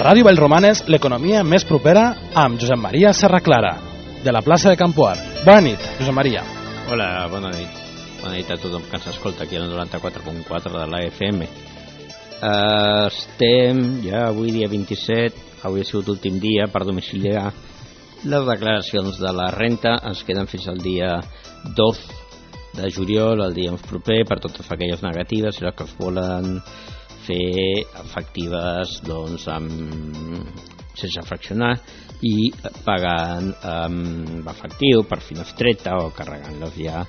Ràdio Vallromanes, l'economia més propera amb Josep Maria Serraclara, de la plaça de Campoar. Bona nit, Josep Maria. Hola, bona nit. Bona nit a tothom que ens escolta aquí al 94.4 de la FM. Estem ja avui dia 27, avui ha sigut l'últim dia per domiciliar les declaracions de la renta. Ens queden fins al dia 2 de juliol, el dia proper, per totes aquelles negatives i les que es volen fer efectives doncs, sense fraccionar i pagant amb efectiu per finestreta o carregant-les ja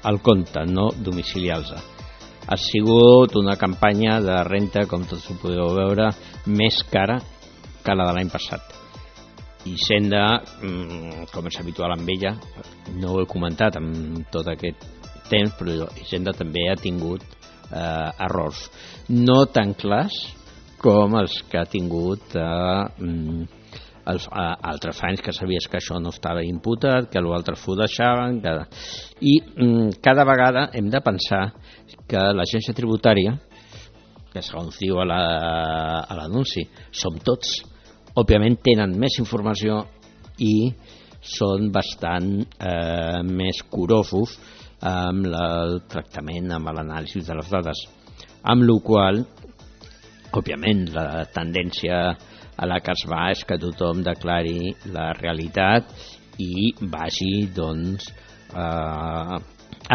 al compte, no domiciliar-los. Ha sigut una campanya de renta, com tots ho podeu veure, més cara que la de l'any passat. Hisenda, com és habitual amb ella, no ho he comentat en tot aquest temps, però Hisenda també ha tingut errors no tan clars com els que ha tingut altres anys, que sabies que això no estava imputat, que l'altre s'ho deixaven, i cada vegada hem de pensar que l'agència tributària, que segons diu a l'anunci som tots, òbviament tenen més informació i són bastant més curosos amb el tractament, amb l'anàlisi de les dades, amb la qual òbviament la tendència a la que es va és que tothom declari la realitat i vagi doncs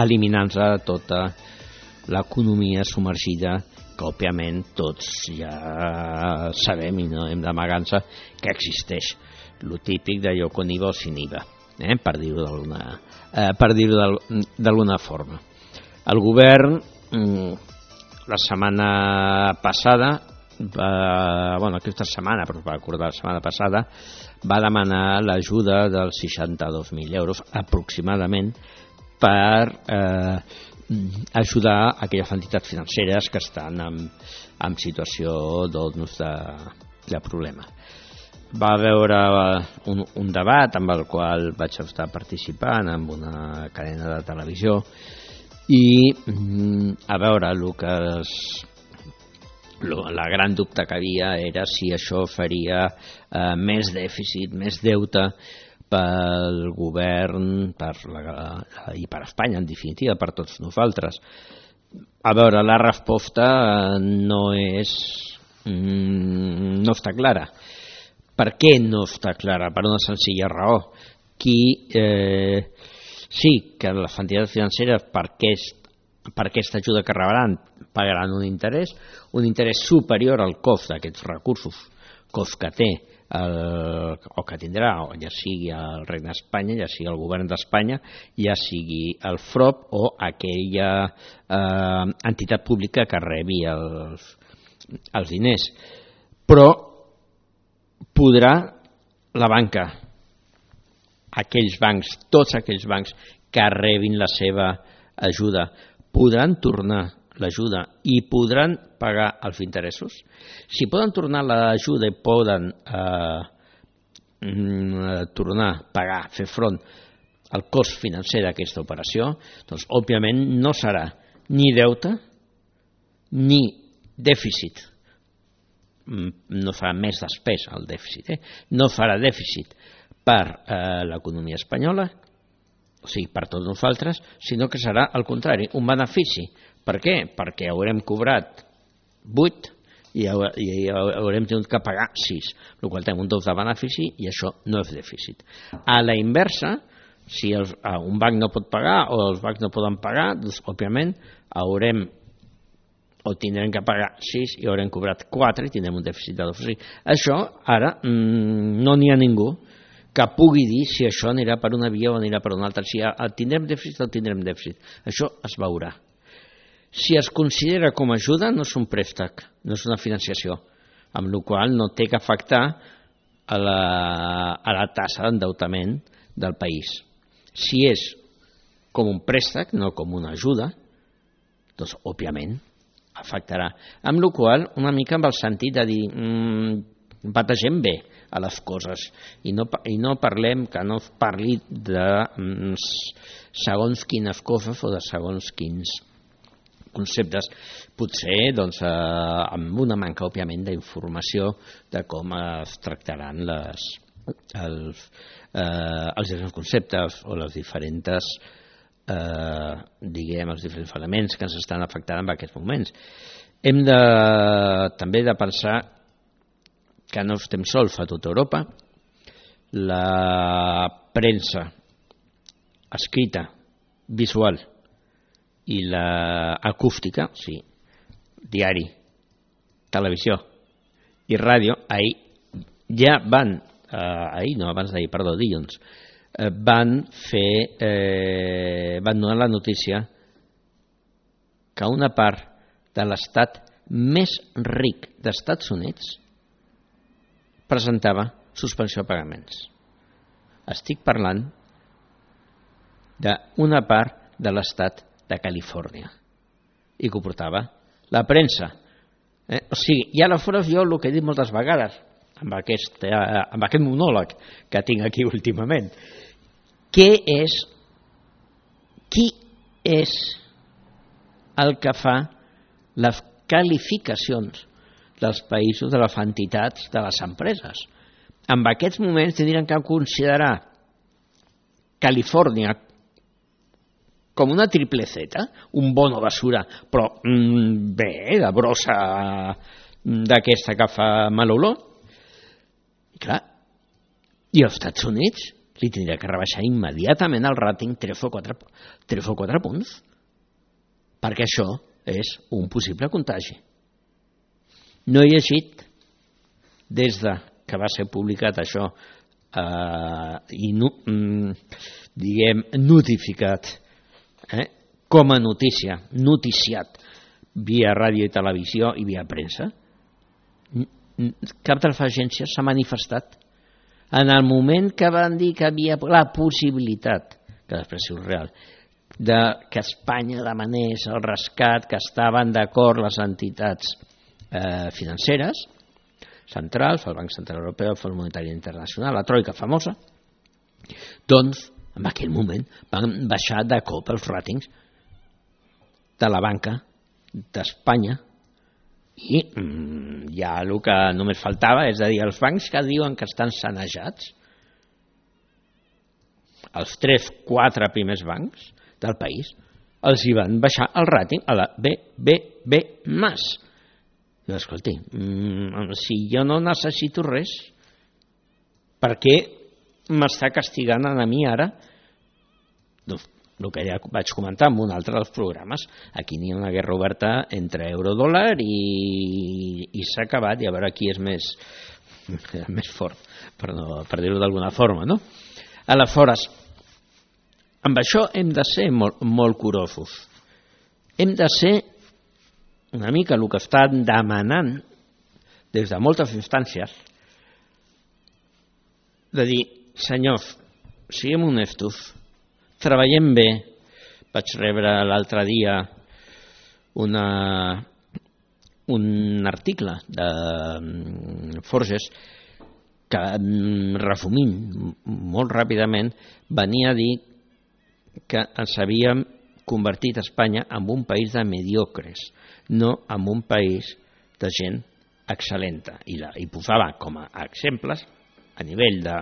eliminant-se tota l'economia submergida que òbviament tots ja sabem i no hem d'amagar-nos que existeix, lo típic d'allò con IVA o sin IVA, per dir-ho d'alguna forma. El govern la setmana passada, aquesta setmana, però va acordar la setmana passada, va demanar l'ajuda dels 62.000 euros aproximadament per ajudar aquelles entitats financeres que estan en situació de problema. Va haver un debat amb el qual vaig estar participant en una cadena de televisió i a veure la gran dubte que havia era si això faria més dèficit, més deute pel govern i per Espanya, en definitiva, per tots nosaltres. A veure, la resposta no està clara. Per què no està clara? Per una senzilla raó. Sí que les entitats financeres per aquesta ajuda que rebran pagaran un interès superior al cost d'aquests recursos, cost que té o que tindrà, ja sigui el Regne d'Espanya, ja sigui el govern d'Espanya, ja sigui el FROP o aquella entitat pública que rebi els diners. Però podrà la banca, aquells bancs, tots aquells bancs que rebin la seva ajuda, podran tornar l'ajuda i podran pagar els interessos? Si poden tornar l'ajuda i poden tornar a pagar, fer front al cost financer d'aquesta operació, doncs òbviament no serà ni deute ni dèficit. No farà més despesa el dèficit, no farà dèficit per l'economia espanyola, o sigui, per tots nosaltres, sinó que serà al contrari, un benefici. Per què? Perquè haurem cobrat 8 i haurem tingut que pagar 6, el qual tenim un deute de benefici i això no és dèficit. A la inversa, si un banc no pot pagar o els bancs no poden pagar, doncs òbviament tindrem que pagar 6 i haurem cobrat 4 i tindrem un dèficit de 2. Això ara no n'hi ha ningú que pugui dir si això anirà per una via o anirà per una altra. Si tindrem dèficit o tindrem dèficit. Això es veurà. Si es considera com a ajuda, no és un préstec, no és una financiació, amb la qual no té que afectar a la tassa d'endeutament del país. Si és com un préstec, no com una ajuda, doncs, òbviament, afectarà. Amb la qual cosa, una mica amb el sentit de dir bategem bé a les coses i no parlem, que no es parli de segons quines coses o de segons quins conceptes, potser amb una manca, òbviament, d'informació de com es tractaran els diferents conceptes o les diferents els diferents elements que ens estan afectant en aquests moments. Hem també de pensar que no estem sols a tota Europa. La premsa escrita, visual i l'acústica, sí, diari, televisió i ràdio, ja van, dilluns, van donar la notícia que una part de l'estat més ric dels Estats Units presentava suspensió de pagaments. Estic parlant d'una part de l'estat de Califòrnia i que ho portava la premsa. O sigui, i aleshores jo el que he dit moltes vegades amb aquest monòleg que tinc aquí últimament, qui és el que fa les qualificacions dels països, de les entitats, de les empreses? En aquests moments tindrien que considerar Califòrnia com una triple Z, un bono basura, però bé, de brossa d'aquesta que fa mal olor. I clar, i als Estats Units li tindria que rebaixar immediatament el ràting 3 o 4 punts, perquè això és un possible contagi. No he llegit des que va ser publicat això i notificat com a notícia, noticiat via ràdio i televisió i via premsa. Cap de les agències s'ha manifestat. En el moment que van dir que havia la possibilitat, que després és real, que Espanya demanés el rescat, que estaven d'acord les entitats financeres centrals, el Banc Central Europeu, el Fons Monetari Internacional, la troika famosa, doncs en aquell moment van baixar de cop els ràtings de la banca d'Espanya i ja el que només faltava, és a dir, els bancs que diuen que estan sanejats, els 3-4 primers bancs del país, els hi van baixar el ràting a la BBB+. I escolti, si jo no necessito res, per què m'està castigant a mi ara? Doncs el que ja vaig comentar en un altre dels programes, aquí n'hi ha una guerra oberta entre euro-dòlar i s'ha acabat, i a veure qui és més fort, per dir-ho d'alguna forma, no? Aleshores, amb això hem de ser molt curosos. Hem de ser una mica el que estan demanant des de moltes instàncies, de dir, senyors, siguem honestos, treballem bé. Vaig rebre l'altre dia un article de Forges que, resumint molt ràpidament, venia a dir que ens havíem convertit Espanya en un país de mediocres, no en un país de gent excel·lenta. I posava com a exemples, a nivell de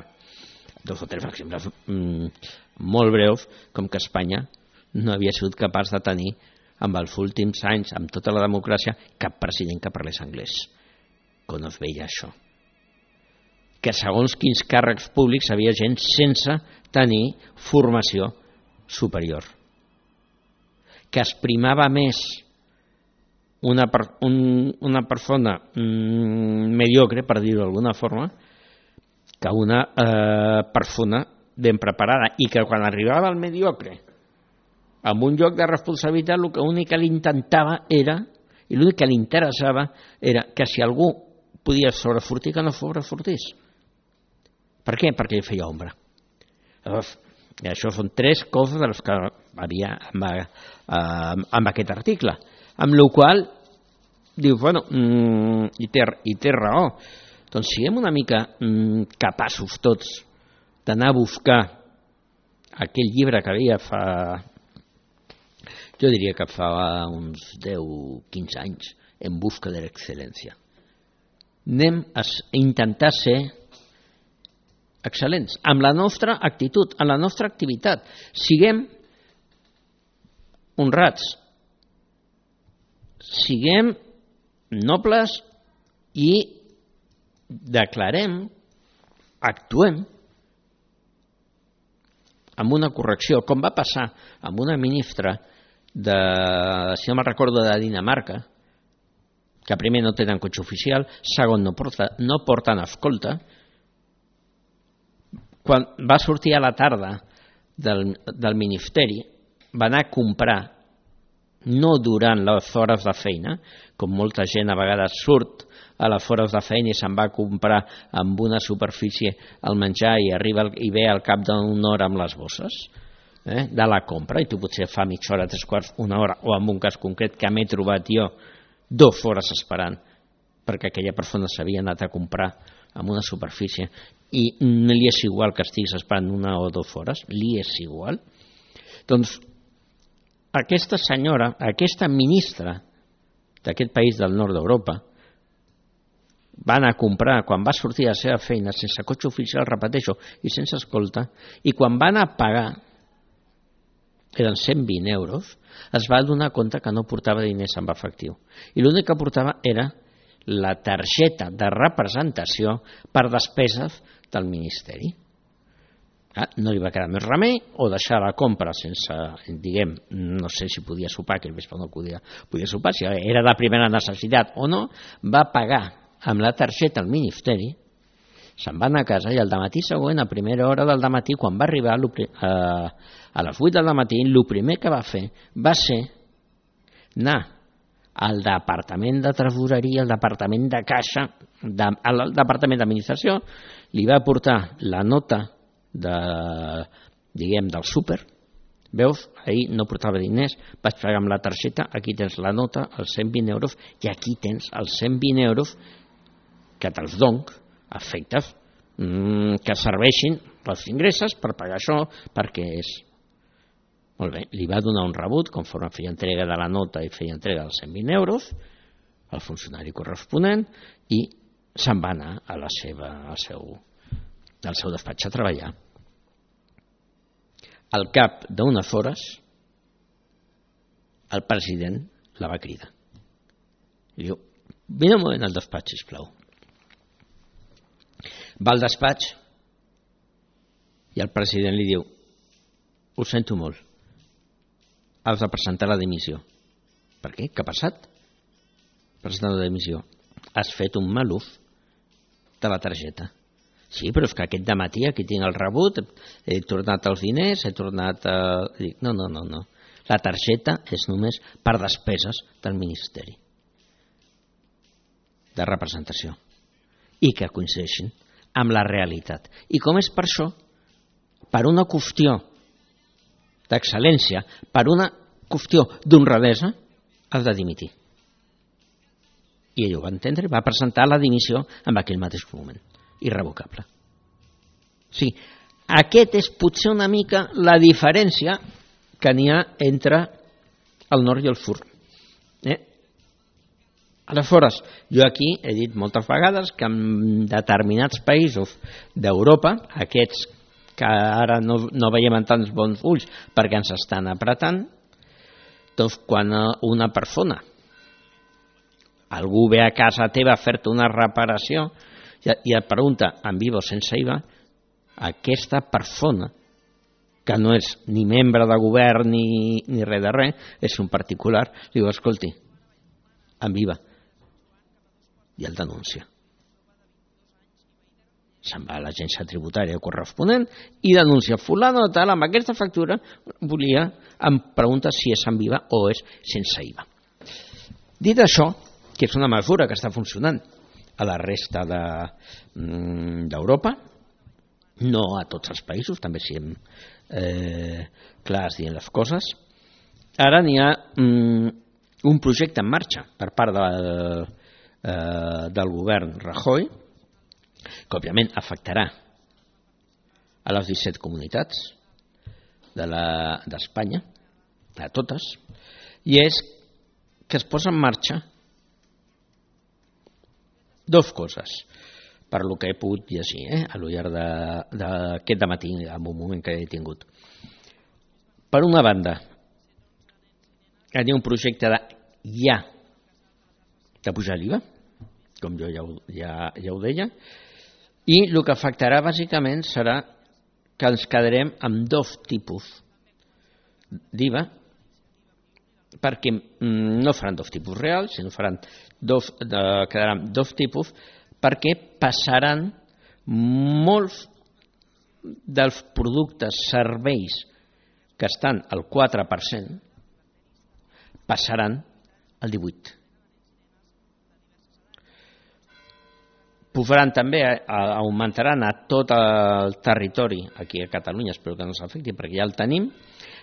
2 o 3 exemples molt breus, com que Espanya no havia sigut capaç de tenir, amb els últims anys, amb tota la democràcia, cap president que parlés anglès. Com es veia això? Que segons quins càrrecs públics havia gent sense tenir formació superior. Que es primava més una persona mediocre, per dir-ho d'alguna forma, que una persona ben preparada, i que quan arribava el mediocre amb un lloc de responsabilitat, l'únic que l'intentava era, i l'únic que li interessava era que si algú podia sobresortir, que no sobresortís. Per què? Perquè li feia ombra. Llavors, això són 3 coses de les que havia amb aquest article, amb la qual diu, bueno, i té raó. Doncs siguem una mica capaços tots d'anar a buscar aquell llibre que jo diria que fa uns 10-15 anys, en busca de l'excel·lència. Anem a intentar ser excel·lents amb la nostra actitud, amb la nostra activitat. Siguem honrats, siguem nobles i declarem, actuem amb una correcció, com va passar amb una ministra si no me'n recordo, de Dinamarca, que primer no tenen cotxe oficial, segon no porten escolta. Quan va sortir a la tarda del ministeri, va anar a comprar, no durant les hores de feina, com molta gent a vegades surt a les hores de feina i se'n va comprar amb una superfície el menjar i arriba i ve al cap d'una hora amb les bosses de la compra, i tu potser fa mitja hora, 3/4, una hora, o en un cas concret que m'he trobat jo 2 hores esperant perquè aquella persona s'havia anat a comprar amb una superfície i no li és igual que estiguis esperant 1 o 2 hores, li és igual. Doncs aquesta senyora, aquesta ministra d'aquest país del nord d'Europa, va anar a comprar, quan va sortir a la seva feina, sense cotxe oficial, repeteixo, i sense escolta, i quan va anar a pagar, eren 120 euros, es va donar compte que no portava diners en efectiu. I l'únic que portava era la targeta de representació per despeses del Ministeri. No li va quedar més remei o deixar la compra sense, diguem, no sé si podia sopar, que el vespre no podia sopar, si era de primera necessitat o no, va pagar amb la targeta al Ministeri, se'n va anar a casa i al dematí següent, a primera hora del dematí, quan va arribar a les 8 del matí, el primer que va fer va ser anar al departament de tresoreria, al departament de caixa, al departament d'administració, li va portar la nota del súper. Veus, ahir no portava diners, vaig pagar amb la targeta, aquí tens la nota, els 120 euros, i aquí tens els 120 euros que te'ls dono a efectes que serveixin els ingressos per pagar això, perquè és... Molt bé, li va donar un rebut, conforme feia entrega de la nota i feia entrega dels 120 euros, al funcionari corresponent, i se'n va anar al seu despatx a treballar. Al cap d'unes hores, el president la va cridar. I diu, vine un moment al despatx, sisplau. Va al despatx i el president li diu, ho sento molt, has de presentar la dimissió. Per què? Què ha passat? Presentar la dimissió. Has fet un mal ús de la targeta. Sí, però és que aquest dematí aquí tinc el rebut, he tornat els diners, he tornat... Dic, no. La targeta és només per despeses del Ministeri de representació i que coincideixin amb la realitat. I com és per això? Per una qüestió d'excel·lència, per una qüestió d'honradesa, has de dimitir. I ell ho va entendre, va presentar la dimissió en aquell mateix moment, irrevocable. Sí, aquest és potser una mica la diferència que n'hi ha entre el nord i el sud. Aleshores, jo aquí he dit moltes vegades que en determinats països d'Europa, aquests que ara no veiem en tants bons ulls perquè ens estan apretant, doncs quan una persona, algú ve a casa teva a fer-te una reparació i et pregunta amb IVA o sense IVA, aquesta persona, que no és ni membre de govern ni res de res, és un particular, li diu, escolti, amb IVA, i el denuncia. Se'n va a l'agència tributària corresponent i denuncia fulano tal, amb aquesta factura em pregunta si és amb IVA o és sense IVA. Dit això, que és una mesura que està funcionant a la resta d'Europa, no a tots els països, també siguem clars dient les coses, ara n'hi ha un projecte en marxa per part del govern Rajoy, que òbviament afectarà a les 17 comunitats d'Espanya, a totes, i és que es posa en marxa dues coses, per lo que he pogut llegir a lo llarg d'aquest dematí, en un moment que he tingut. Per una banda, hi ha un projecte de pujar l'IVA, com jo ja ho deia, i el que afectarà bàsicament serà que ens quedarem amb dos tipus d'IVA, perquè no faran dos tipus reals, sinó quedaran dos tipus, perquè passaran molts dels productes, serveis que estan al 4%, passaran al 18%. Pujaran també, augmentaran a tot el territori, aquí a Catalunya, espero que no s'afecti perquè ja el tenim,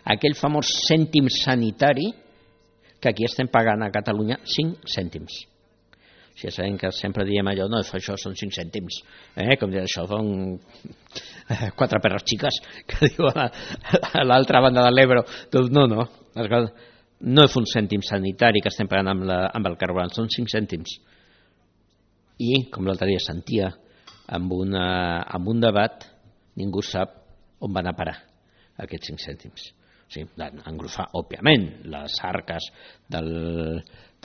aquell famós cèntim sanitari que aquí estem pagant a Catalunya 5 cèntims. Ja sabem que sempre diem allò, no, això són 5 cèntims, com dir, això són 4 perres xiques, que diu a l'altra banda de l'Ebro. Doncs no, no és un cèntim sanitari que estem pagant amb el carburant, són 5 cèntims. I, com l'altre dia sentia amb un debat, ningú sap on van a parar aquests 5 cèntims. O sigui, engrosar, òbviament, les arques de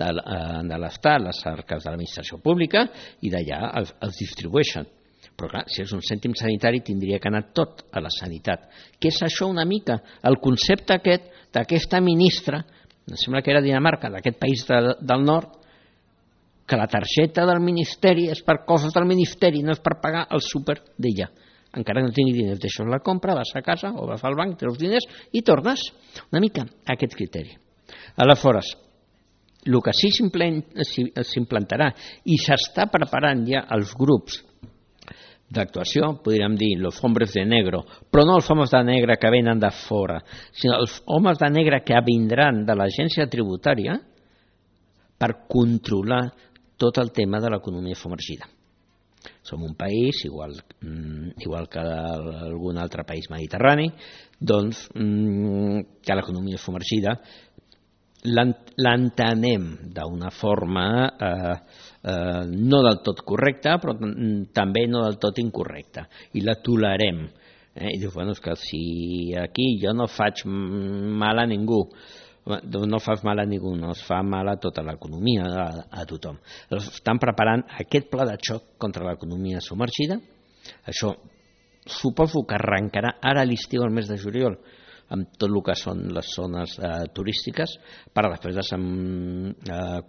l'Estat, les arques de l'administració pública, i d'allà els distribueixen. Però clar, si és un cèntim sanitari tindria que anar tot a la sanitat. Què és això una mica? El concepte aquest d'aquesta ministra, em sembla que era Dinamarca, d'aquest país del nord, que la targeta del ministeri és per coses del ministeri, no és per pagar el súper d'ella. Encara que no tingui diners, deixes la compra, vas a casa o vas al banc, treus diners i tornes. Una mica aquest criteri. Aleshores, el que sí s'implantarà i s'està preparant ja els grups d'actuació, podríem dir els hombres de negro, però no els homes de negre que venen de fora, sinó els homes de negre que vindran de l'agència tributària per controlar tot el tema de l'economia submergida. Som un país, igual que algun altre país mediterrani, doncs que l'economia submergida l'entenem d'una forma no del tot correcta, però també no del tot incorrecta, i la tolerem. I dius, bueno, és que si aquí jo no faig mal a ningú, no fas mal a ningú, no es fa mal a tota l'economia, a tothom. Estan preparant aquest pla de xoc contra l'economia submergida. Això suposo que arrencarà ara a l'estiu, al mes de juliol, amb tot el que són les zones turístiques, per després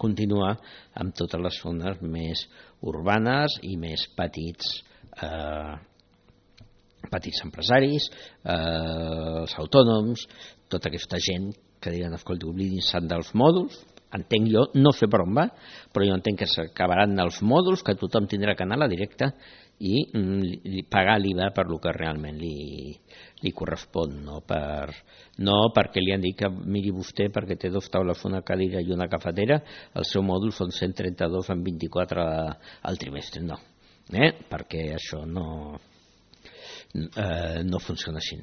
continuar amb totes les zones més urbanes i més petits empresaris, els autònoms, tota aquesta gent que diran, escolta, oblidin-se dels mòduls, entenc jo, no sé per on va, però jo entenc que s'acabaran els mòduls, que tothom tindrà que anar a la directa i pagar l'IVA per lo que realment li correspon, no perquè li han dit que miri vostè, perquè té 2 taules, una cadira i una cafetera, el seu mòdul són 132 en 24 al trimestre, no, perquè això no funciona així.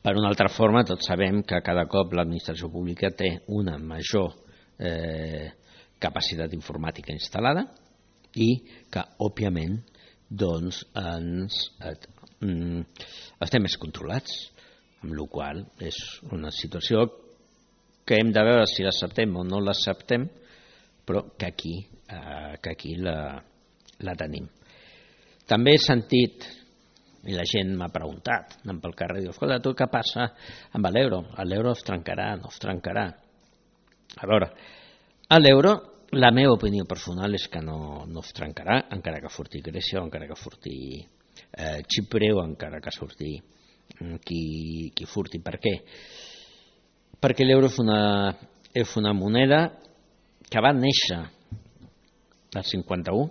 Per una altra forma, tots sabem que cada cop l'administració pública té una major capacitat informàtica instal·lada i que, òbviament, doncs, estem més controlats, amb la qual cosa és una situació que hem de veure si l'acceptem o no l'acceptem, però que aquí la tenim. També he sentit, i la gent m'ha preguntat, anant pel carrer, diu, escolta, tu què passa amb l'euro? L'euro es trencarà, no es trencarà. A veure, l'euro, la meva opinió personal és que no es trencarà, encara que surti Grècia, encara que surti Xipre, o encara que surti qui furti. Per què? Perquè l'euro és una moneda que va néixer al 51,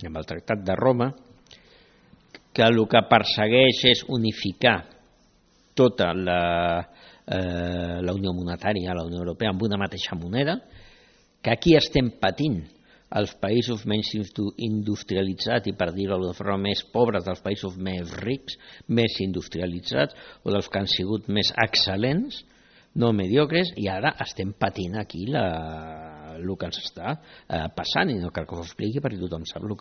amb el Tractat de Roma, que el que persegueix és unificar tota la Unió Monetària, la Unió Europea, amb una mateixa moneda, que aquí estem patint els països menys industrialitzats i, per dir-ho d'una forma, més pobres dels països més rics, més industrialitzats, o dels que han sigut més excel·lents, no mediocres, i ara estem patint aquí el que ens està passant, i no cal que us ho expliqui perquè tothom sap el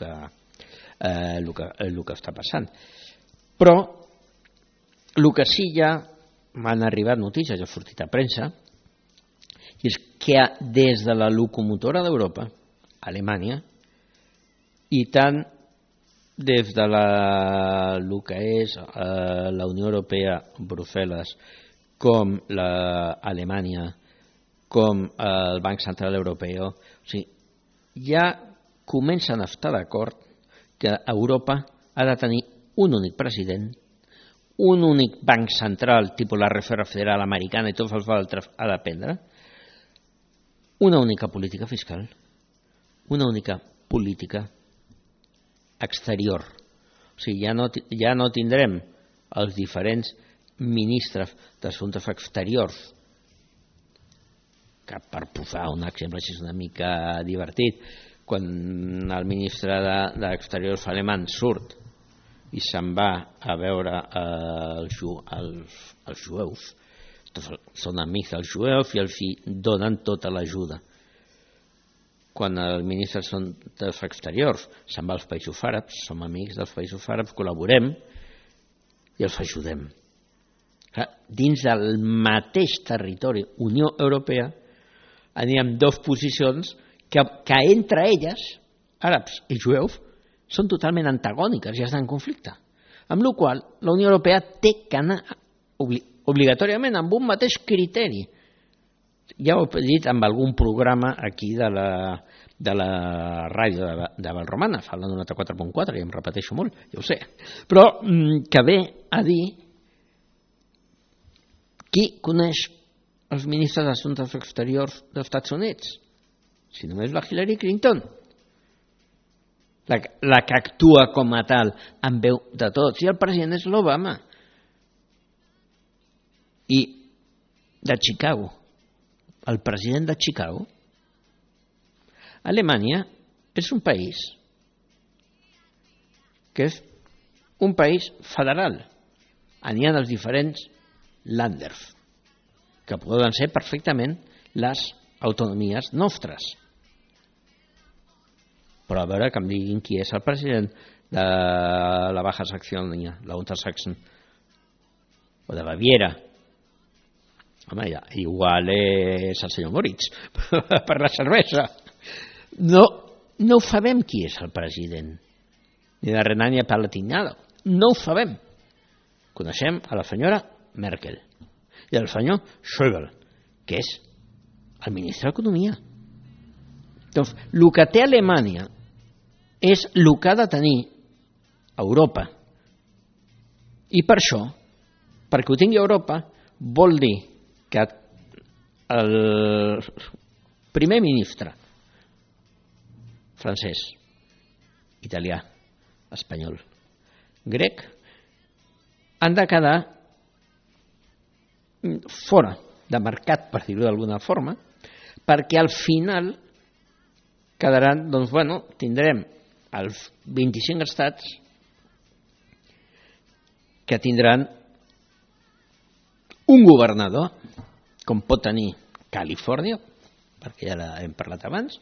que està passant. Però el que sí ja m'han arribat notícies, ja ha sortit a premsa, i és que des de la locomotora d'Europa, Alemanya, i tant des de el que és la Unió Europea, Brussel·les, com l'Alemanya, com el Banc Central Europeu, o sigui, ja comencen a estar d'acord que Europa ha de tenir un únic president, un únic banc central, tipus la Reserva Federal Americana i tots els altres ha de prendre, una única política fiscal, una única política exterior. O sigui, ja no tindrem els diferents ministres d'assumptes exteriors, que per posar un exemple així una mica divertit, quan el ministre d'Exteriors alemany surt i se'n va a veure els jueus, són amics dels jueus i els donen tota l'ajuda. Quan el ministre dels Exteriors se'n va als països àrabs, som amics dels països àrabs, col·laborem i els ajudem. Dins del mateix territori Unió Europea anirem dues posicions que entre elles, àrabs i jueus, són totalment antagòniques i estan en conflicte. Amb la qual cosa, la Unió Europea té que anar obligatòriament amb un mateix criteri. Ja ho he dit en algun programa aquí de la ràdio de Valromana, fa la 94.4, i em repeteixo molt, ja ho sé, però que ve a dir qui coneix els ministres d'Assumptes Exteriors dels Estats Units? Si només la Hillary Clinton, la que actua com a tal amb veu de tots, i el president és l'Obama. I de Chicago, el president de Chicago, Alemanya és un país que és un país federal. N'hi ha els diferents Länders, que poden ser perfectament les autonomies nostres. Però a veure que em diguin qui és el president de la Baja Saxònia, la Untersachsen, o de Baviera. Home, ja, igual és el senyor Moritz, per la cervesa. No ho sabem qui és el president, ni de Renània-Palatinat, no ho sabem. Coneixem a la senyora Merkel i al senyor Schäuble, que és el ministre d'Economia. Doncs el que té Alemanya és el que ha de tenir Europa. I per això, perquè ho tingui Europa, vol dir que el primer ministre francès, italià, espanyol, grec, han de quedar fora de mercat, per dir-ho d'alguna forma, perquè al final quedaran, doncs bueno, tindrem els 25 estats que tindran un governador, com pot tenir Califòrnia, perquè ja hem parlat abans,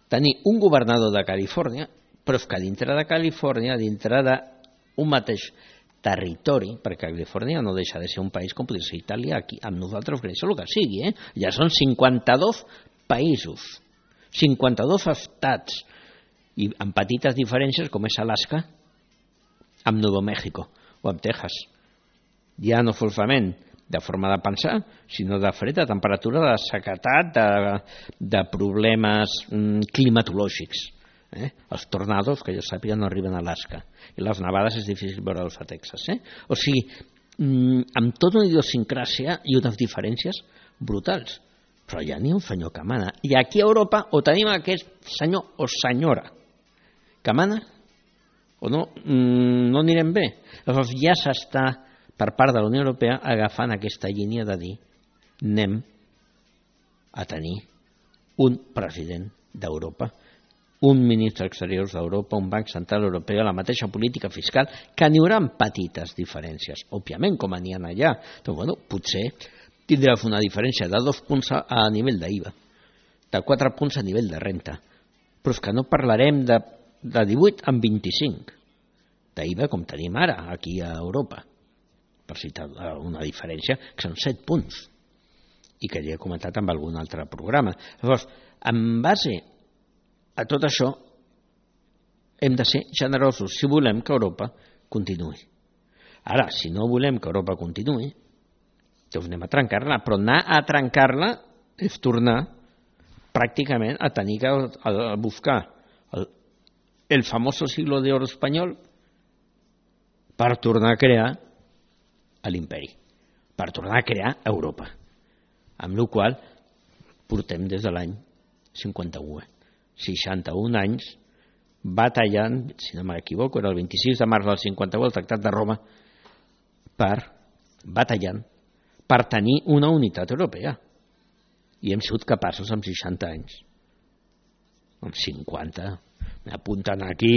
tenir un governador de Califòrnia, però és que dintre de Califòrnia, dintre d'un mateix territori, perquè Califòrnia no deixa de ser un país com podria ser Itàlia, aquí amb nosaltres, Grècia, el que sigui, ja són 52 països, 52 estats, i amb petites diferències com és Alaska, amb Nou Mèxico o amb Texas. Ja no solament de forma de pensar, sinó de fred, de temperatura, de sequedat, de problemes climatològics. Els tornados, que jo sàpiga, no arriben a Alaska, i les nevades és difícil veure-los a Texas. O sigui, amb tota una idiosincràsia i unes diferències brutals, però ja n'hi ha un senyor que mana, i aquí a Europa o tenim aquest senyor o senyora que mana o no anirem bé. Llavors ja s'està per part de la Unió Europea agafant aquesta línia de dir anem a tenir un president d'Europa, un ministre d'Exteriors d'Europa, un banc central europeu, la mateixa política fiscal, que n'hi haurà petites diferències, òbviament, com n'hi ha allà. Doncs, bueno, potser tindrà una diferència de 2 punts a nivell d'IVA, de 4 punts a nivell de renta. Però és que no parlarem de 18 amb 25 d'IVA com tenim ara aquí a Europa, per citar una diferència que són 7 punts i que ja he comentat amb algun altre programa. Llavors, en base a tot això hem de ser generosos si volem que Europa continuï. Ara, si no volem que Europa continuï, doncs anem a trencar-la, però anar a trencar-la és tornar pràcticament a tenir que buscar el famoso siglo de oro espanyol per tornar a crear l'imperi, per tornar a crear Europa, amb la qual portem des de l'any 51, 61 anys batallant, si no m'equivoco, era el 26 de març del 51, el Tractat de Roma, batallant per tenir una unitat europea. I hem sigut capaços amb 60 anys, amb 50, m'apunten aquí,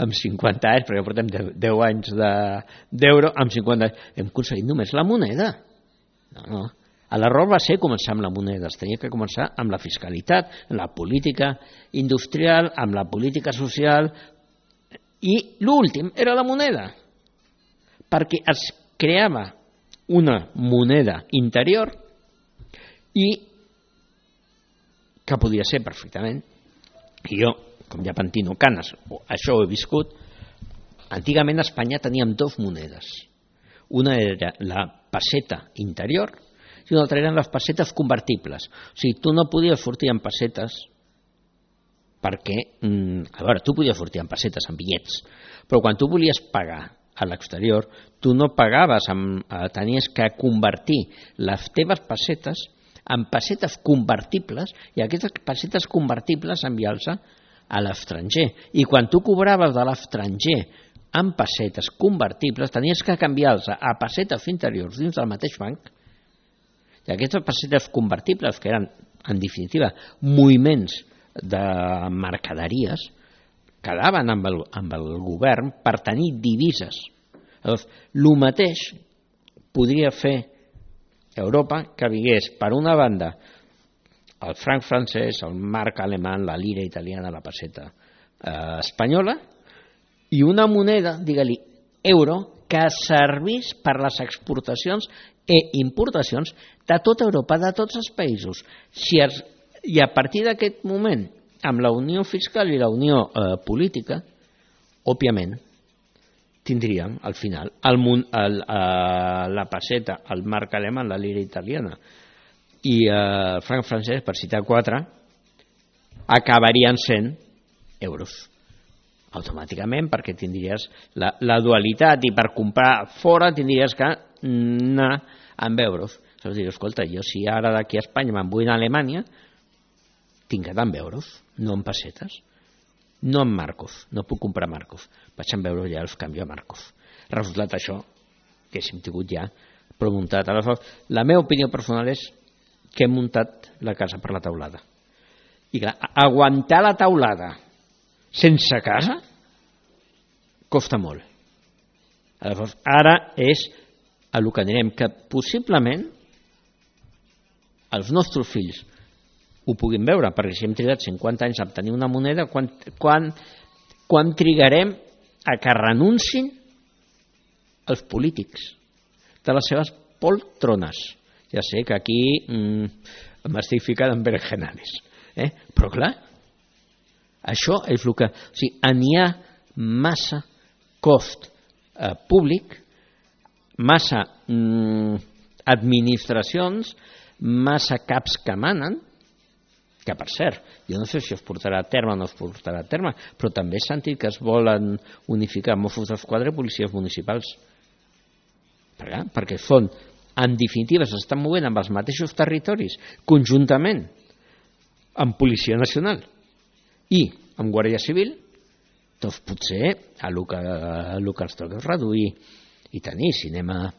amb 50 anys, perquè portem 10 anys d'euro, amb 50 anys, hem aconseguit només la moneda. No. L'error va ser començar amb la moneda, es tenia que començar amb la fiscalitat, amb la política industrial, amb la política social, i l'últim era la moneda, perquè es creava una moneda interior i que podia ser perfectament, i jo, com ja pentino canes, això ho he viscut, antigament a Espanya teníem 2 monedes. Una era la peseta interior i una altra eren les pessetes convertibles. O sigui, tu no podies sortir amb pessetes perquè, a veure, tu podies sortir amb pessetes, amb bitllets, però quan tu volies pagar a l'exterior, tu no pagaves, tenies que convertir les teves pessetes en pessetes convertibles i aquestes pessetes convertibles enviar-se a l'estranger. I quan tu cobraves de l'estranger en pessetes convertibles, tenies que canviar-los a pessetes interiors dins del mateix banc. I aquestes pessetes convertibles, que eren, en definitiva, moviments de mercaderies, quedaven amb el govern per tenir divises. Llavors, el mateix podria fer Europa, que vingués, per una banda, el franc francès, el marc alemany, la lira italiana, la pesseta espanyola, i una moneda, digue-li, euro, que servís per les exportacions i importacions de tota Europa, de tots els països. I a partir d'aquest moment, amb la unió fiscal i la unió política, òbviament, tindríem al final la pesseta, el marc alemany, la lira italiana i el franc francès, per citar 4, acabarien sent euros automàticament, perquè tindries la dualitat, i per comprar fora tindries que anar amb euros. Saps dir, escolta, jo si ara d'aquí a Espanya me'n vull a Alemanya, tinc que anar amb euros, no amb pessetes, no amb marcos, no puc comprar marcos, vaig amb euros i ja els canvio a marcos. Resultat això, que hem tingut ja prou muntat. La meva opinió personal és que hem muntat la casa per la teulada. I clar, aguantar la teulada sense casa costa molt. Aleshores, ara és a lo que anirem, que possiblement els nostres fills ho puguin veure, perquè si hem trigat 50 anys a obtenir una moneda, quan trigarem a que renuncin els polítics de les seves poltrones? Ja sé que aquí m'estic ficant en berenjenales, però clar, això és el que... O sigui, n'hi ha massa cost públic, massa administracions, massa caps que manen, que per cert, jo no sé si es portarà a terme o no es portarà a terme, però també he sentit que es volen unificar Mossos d'Esquadra i policies municipals. Perquè són, en definitiva, s'estan movent amb els mateixos territoris, conjuntament amb Policia Nacional i amb Guàrdia Civil, doncs potser el que ens toca és reduir i tenir cinema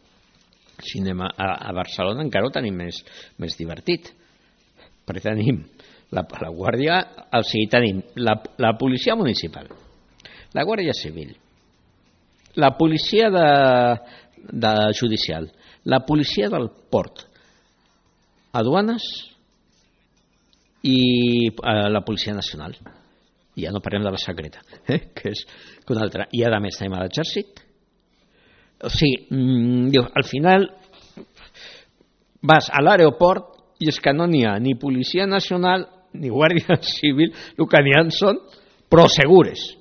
a Barcelona. Encara ho tenim més divertit, perquè tenim la Guàrdia, o sigui, tenim la policia municipal, la Guàrdia Civil, la policia judicial, la policia del port, aduanes i la Policia Nacional. Ja no parlem de la secreta, que és una altra. I a més tenim a l'exèrcit. O sigui, al final vas a l'aeroport i és que no n'hi ha ni Policia Nacional ni Guàrdia Civil, el que n'hi ha són prosegures,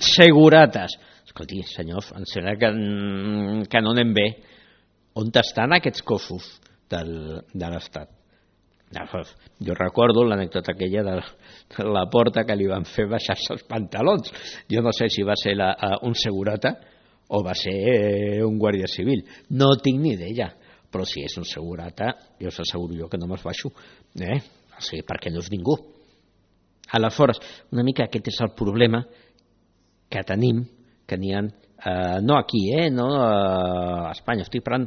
segurates. Escolti, senyor, em sembla que no anem bé. On estan aquests cossos de l'Estat? Jo recordo l'anècdota aquella de la porta que li van fer baixar-se els pantalons. Jo no sé si va ser un segurata o va ser un guàrdia civil. No tinc ni idea, però si és un segurata, jo us asseguro jo que no me'ls baixo, o sigui, perquè no és ningú. Aleshores, una mica aquest és el problema que tenim, que n'hi ha, no aquí, no a Espanya, estic parlant,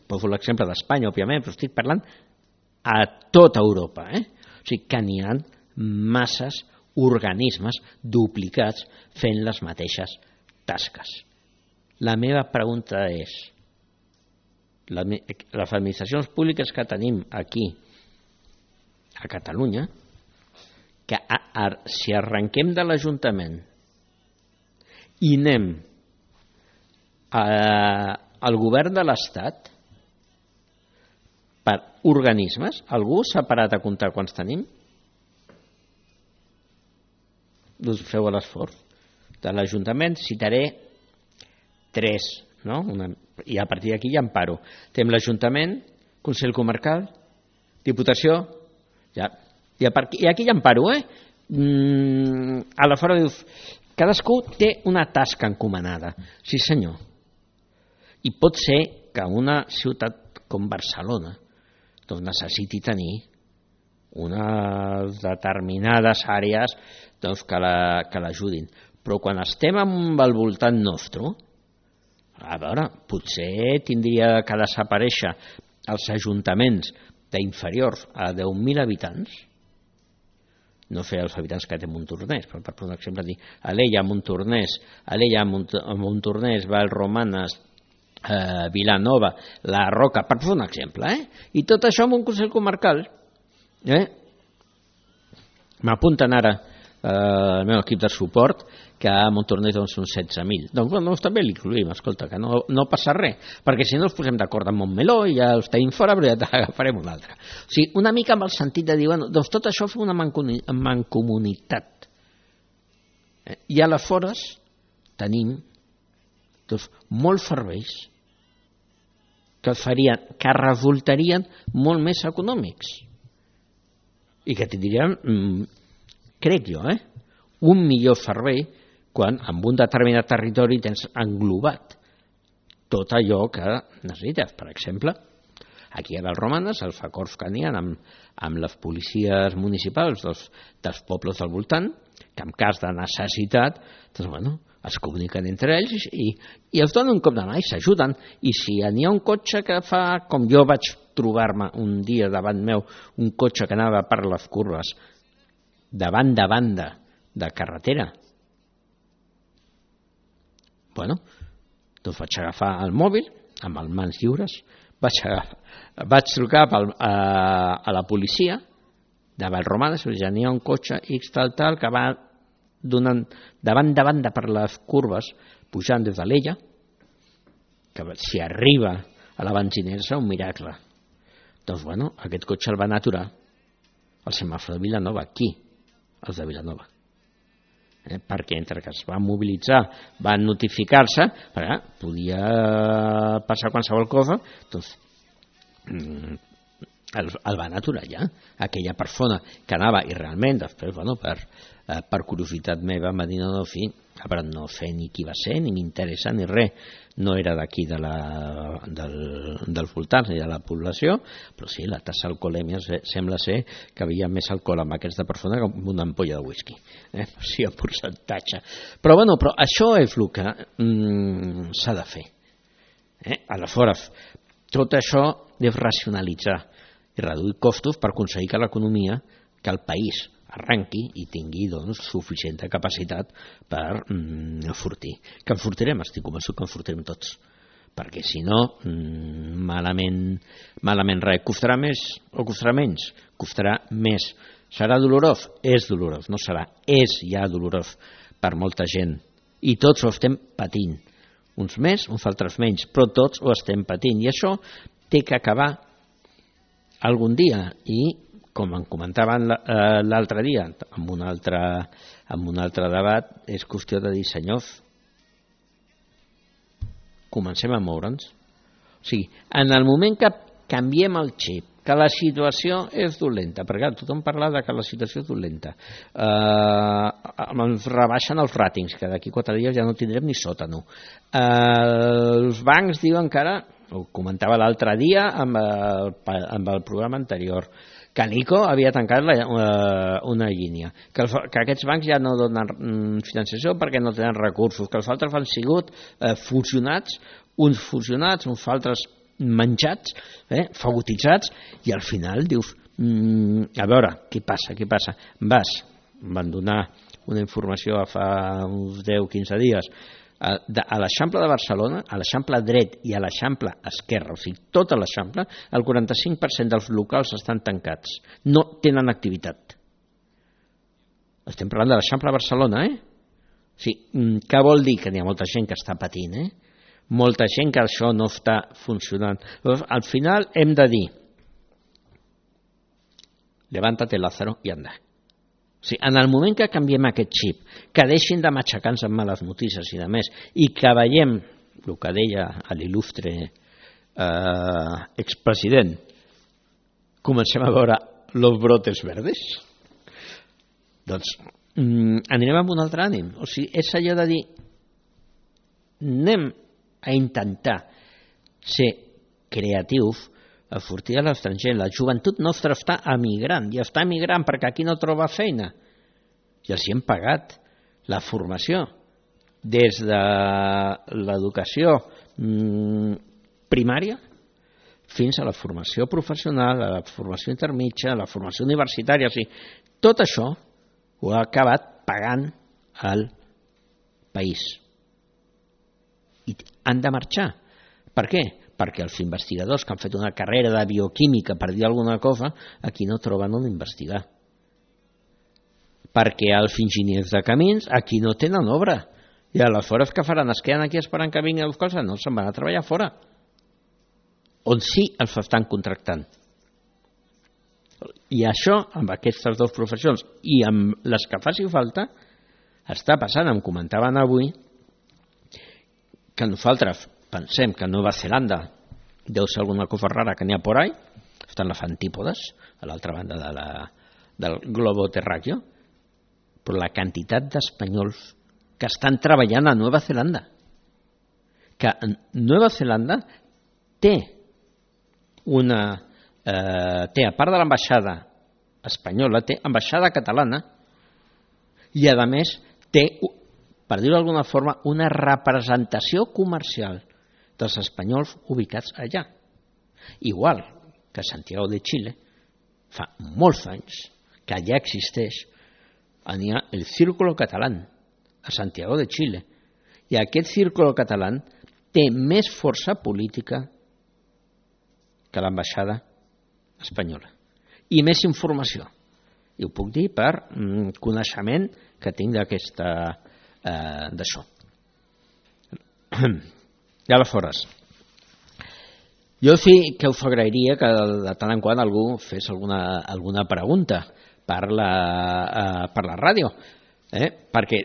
poso l'exemple d'Espanya, òbviament, però estic parlant a tota Europa, o sigui que n'hi ha masses organismes duplicats fent les mateixes tasques. La meva pregunta és, les administracions públiques que tenim aquí a Catalunya, que si arrenquem de l'Ajuntament i anem al govern de l'Estat per organismes, algú s'ha parat a comptar quants tenim? Doncs feu l'esforç. De l'Ajuntament citaré 3, no? I a partir d'aquí ja em paro. Tenim l'Ajuntament, Consell Comarcal, Diputació, i aquí ja em paro, Aleshores dius, cadascú té una tasca encomanada. Sí, senyor. I pot ser que una ciutat com Barcelona doncs necessiti tenir unes determinades àrees doncs, que l'ajudin. Però quan estem al voltant nostre, a veure, potser tindria que desaparèixer els ajuntaments d'inferiors a 10.000 habitants, no fer els habitants que té Montornès, però per un exemple dir Alella, Montornès, Vallromanes, Vilanova, La Roca, per un exemple, i tot això amb un Consell Comarcal. M'apunten ara el meu equip de suport que a Montornès són 16.000. Doncs també l'incluïm, escolta, que no passa res, perquè si no ens posem d'acord amb Montmeló i ja els tenim fora, però ja agafarem un altre. O sigui, una mica amb el sentit de dir, doncs tot això fa una mancomunitat. I aleshores tenim molts serveis que resultarien molt més econòmics i que tindrien, crec jo, un millor servei quan en un determinat territori tens englobat tot allò que necessites. Per exemple, aquí a Vallromanes, els acords que n'hi ha amb les policies municipals dels pobles del voltant, que en cas de necessitat es comuniquen entre ells i els donen un cop de mà i s'ajuden. I si n'hi ha un cotxe que fa, com jo vaig trobar-me un dia davant meu, un cotxe que anava per les curves de banda de carretera, doncs vaig agafar el mòbil amb les mans lliures, vaig trucar a la policia de Vallromanes, ja n'hi ha un cotxe X tal que va donant de banda per les curves pujant des de l'Ella, que si arriba a la benzinera serà un miracle. Doncs aquest cotxe el van aturar al semàfor de Vilanova, aquí, els de Vilanova, perquè entre que es van mobilitzar, van notificar-se, perquè podia passar qualsevol cosa, doncs el van aturar ja. Aquella persona que anava i realment després, per curiositat meva, em va dir no sé ni qui va ser, ni m'interessa ni res, no era d'aquí dels voltants ni de la població, però sí, la tassa d'alcoholèmia sembla ser que havia més alcohol amb aquesta persona que amb una ampolla de whisky, sí, en percentatge. Però això és el que s'ha de fer. Aleshores, tot això és racionalitzar i reduir costos per aconseguir que l'economia, que el país arrenqui i tingui suficient capacitat per enfortir. Que enfortirem, estic convençut que enfortirem tots, perquè si no, malament res. Costarà més o costarà menys? Costarà més. Serà dolorós? És dolorós, no serà, és ja dolorós per molta gent. I tots ho estem patint. Uns més, uns altres menys, però tots ho estem patint. I això té que acabar algun dia. I, com em comentaven l'altre dia, en un altre debat, és qüestió de dir, senyors, comencem a moure'ns. O sigui, en el moment que canviem el xip, que la situació és dolenta, perquè tothom parla de que la situació és dolenta, ens rebaixen els ràtings, que d'aquí 4 dies ja no tindrem ni sòtano. Els bancs diuen que ara, ho comentava l'altre dia amb el programa anterior, que Nico havia tancat una línia, que aquests bancs ja no donen financiació perquè no tenen recursos, que els altres han sigut fusionats, uns altres menjats, fagotitzats, i al final dius, a veure, què passa? Van donar una informació fa uns 10-15 dies a l'Eixample de Barcelona, a l'Eixample dret i a l'Eixample esquerra, o sigui, tota l'Eixample, el 45% dels locals estan tancats, no tenen activitat. Estem parlant de l'Eixample de Barcelona, O sigui, què vol dir? Que n'hi ha molta gent que està patint, molta gent que això no està funcionant. Llavors, al final hem de dir, levántate Lázaro i anda. O sigui, en el moment que canviem aquest xip, que deixin de matxacar-nos amb males notícies i de més, i que veiem el que deia l'il·lustre expresident, comencem a veure los brotes verdes, doncs anirem amb un altre ànim. O sigui, és allò de dir, anem a intentar ser creatius, a sortir a l'estranger. La joventut nostra està emigrant, i està emigrant perquè aquí no troba feina. I els hi hem pagat la formació, des de l'educació primària fins a la formació professional, a la formació intermitja, a la formació universitària. O sigui, tot això ho ha acabat pagant el país. I han de marxar. Per què? Perquè els investigadors que han fet una carrera de bioquímica, per dir alguna cosa, aquí no troben on investigar. Perquè els enginyers de camins aquí no tenen obra. I aleshores què faran? Es queden aquí esperant que vinguin les coses? No, se'n van a treballar fora. On sí els estan contractant. I això, amb aquestes dues professions i amb les que faci falta, està passant. Em comentaven avui que nosaltres pensem que Nova Zelanda deu ser alguna cosa rara que n'hi ha por ahí, estan les antípodes a l'altra banda del globo terráqueo, però la quantitat d'espanyols que estan treballant a Nova Zelanda, que Nova Zelanda té a part de l'ambaixada espanyola, té ambaixada catalana i a més té, per dir-ho d'alguna forma, una representació comercial dels espanyols ubicats allà. Igual que Santiago de Chile, fa molts anys que allà existeix, n'hi ha el Círculo Catalán a Santiago de Chile, i aquest Círculo Catalán té més força política que l'ambaixada espanyola i més informació, i ho puc dir per coneixement que tinc d'això. I aleshores, jo sí que us agrairia que de tant en quant algú fes alguna pregunta per la ràdio, perquè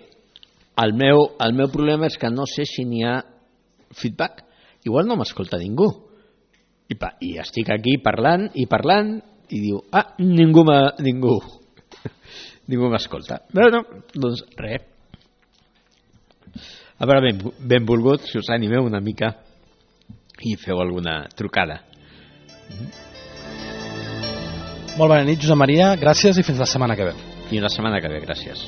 el meu problema és que no sé si n'hi ha feedback. Igual no m'escolta ningú. I estic aquí parlant i diu, ningú m'escolta. Bueno, doncs res. A veure, benvolgut, si us animeu una mica i feu alguna trucada. Molt bona nit, Josep Maria, gràcies i fins la setmana que ve. Fins la setmana que ve, gràcies.